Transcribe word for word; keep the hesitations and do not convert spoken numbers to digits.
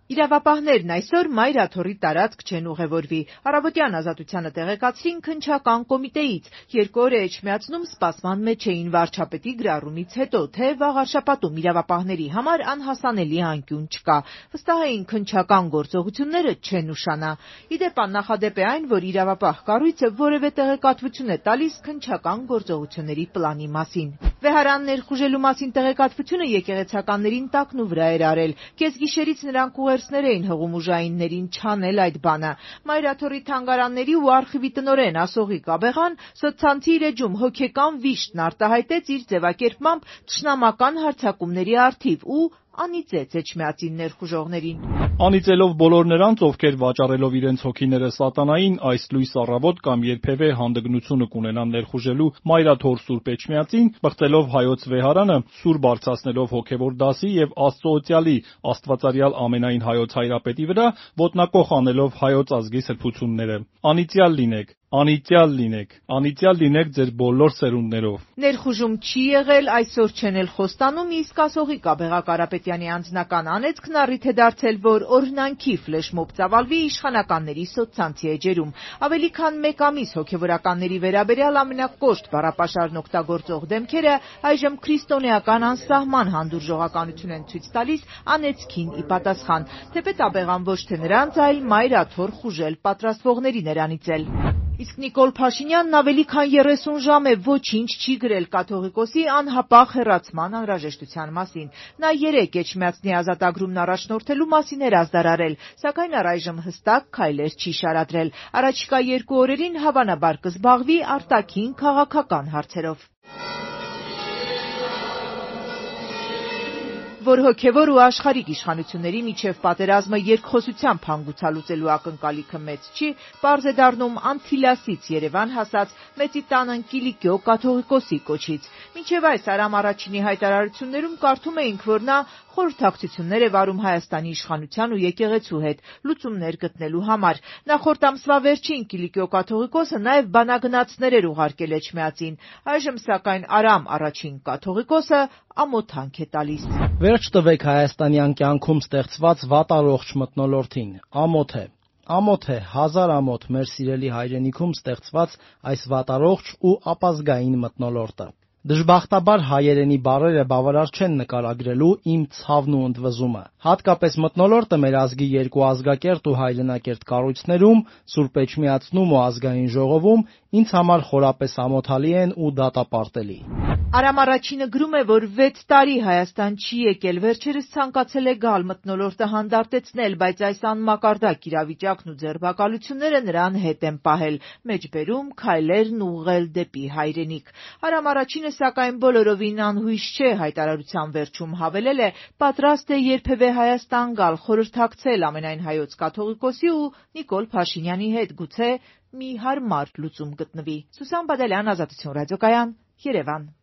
Իրավապահներն այսօր Մայր Աթոռի տարածք չեն ուղևորվի։ Առավոտյան Ազատությանը տեղեկացրին քննչական կոմիտեից։ Երկու օր է Էջմիածնում սպասման մեջ էին վարչապետի գրառումից հետո, թե վաղ առշապատում իրավապահների համար անհասանելի անկյուն չկա։ Վստահ էին քննչական գործողությունները չեն ուշանա։ Ի դեպ, աննախադեպ է այն, որ իրավապահ կառույցը որևէ տեղեկատվություն է տալիս քննչական գործողությունների պլանի մասին։ Վեհարան ներխուժելու մասին տեղեկատվությունը եկեղեցականներին տակնու վրա էր արել։ Կեսգիշերից նրանք ուղերձներ էին հղում ուժայիններին չանել այդ բանը։ Մայր Աթոռի թանգարանների ու արխիվի տնօրեն Ասողիկ Աբեղան սոցցանցի իր էջում հոգեկան վիշտն արտահայտեց իր ձևակերպմամբ թշնամական հարձակումների առթիվ ու անիծեց էջմիածին ներխուժողներին։ Անիծելով բոլոր նրանց, ովքեր վաճառելով իրենց հոգիները սատանային, այս լույս առավոտ կամ երբևէ հանդգնությունը կունենան ներխուժելու Մայր Աթոռ Սուրբ Էջմիածին, բղծելով հայոց վեհարանը, սուր բարձրացնելով հոգևոր դասի եւ Աստծո օծյալի Աստվածարյալ ամենայն հայոց հայրապետի վրա, ոտնակոխ անելով հայոց ազգի սրբությունները։ Անիծյալ լինեք, անիծյալ լինեք, անիծյալ լինեք ձեր բոլոր սերունդներով։ Ներխուժում չի եղել, այսօր չեն էլ խոստանում, իսկ Ասողիկ Աբեղա Կարապետյանի անձնական անեծքն առիթ է դարձել, որ օրհնանքի ֆլեշմոբ ծավալվի իշխանականների սոցցանցի էջերում։ Ավելի քան մեկ ամիս հոգևորականների վերաբերյալ ամենակոշտ բառապաշարն օգտագործող դեմքերը այժմ քրիստոնեական անսահման հանդուրժողականություն են ցույց տալիս անեծքին ի պատասխան, թեպետ Աբեղան ոչ թե նրանց, այլ Մայր Աթոռ խուժել պատրաստվողներին էր անիծել։ Իսկ Նիկոլ Փաշինյանն ավելի քան երեսուն ժամ է ոչինչ չի գրել կաթողիկոսի անհապաղ հեռացման անհրաժեշտության մասին։ Նա երեկ Էջմիածնի ազատագրումն առաջնորդելու մասին էր ազդարարել, սակայն առայժմ հստակ քայլեր չի շարադրել։ Առաջիկա երկու օրերին հավանաբար կզբաղվի արտաքին քաղաքական հարցերով։ Որ հոգևոր ու աշխարհիկ իշխանությունների միջև պատերազմը երկխոսությամբ հանգուցալուծելու ակնկալիքը մեծ չի, պարզ է դառնում Անթիլասից Երևան հասած Մեծիտան Կիլիկիո կաթողիկոսի կոչից։ Մինչև այս Արամ առաջինի հայտարարություններում կարդում էինք, որ նա խորհրդակցություններ է վարում Հայաստանի իշխանության ու եկեղեցու հետ լուծումներ գտնելու համար։ Նախորդ ամսվա վերջին Կիլիկիո կաթողիկոսը նաև բանագնացներ էր ուղարկել Էջմիածին։ Այժմ սակայն Արամ առաջին կաթողիկոսը ամոթանք է տալիս։ Վերջ տվեք հայաստանյան կյանքում ստեղծված վատառողջ մթնոլորտին։ Ամոթ է։ Ամոթ է, հազար ամոթ մեր սիրելի հայրենիքում ստեղծված այս վատառողջ ու ապազգային մթնոլորտը։ Դժբախտաբար հայերենի բառերը բավարար չեն նկարագրելու իմ ցավն ու ընդվզումը։ Հատկապես մթնոլորտը մեր ազգի երկու ազգակերտ ու հայրենակերտ կառույցներում, Սուրբ Էջմիածնում ու Ազգային ժողովում ինձ համար խորապես ամոթալի են ու դատապարտելի։ Արամ առաջինը գրում է, որ վեց տարի Հայաստան չի եկել, վերջերս ցանկացել է գալ մթնոլորտը հանդարտեցնել, բայց այս անմակարդակ իրավիճակն ու ձերբակալությունները նրան հետ են պահել, մեջբերում քայլերն ուղղել դեպի հայրենիք։ Արամ առաջինը սակայն բոլորովին անհույս չէ, հայտարարության վերջում հավելել է, պատրաստ է երբևէ Հայաստան գալ, խորհրդակցել ամենայն հայոց կաթողիկոսի ու Նիկոլ Փաշինյանի հետ, գուցե մի հարմար լուծում գտնվի։ Սուսան Բադալյան, Ազատություն ռադիոկայան, Երևան։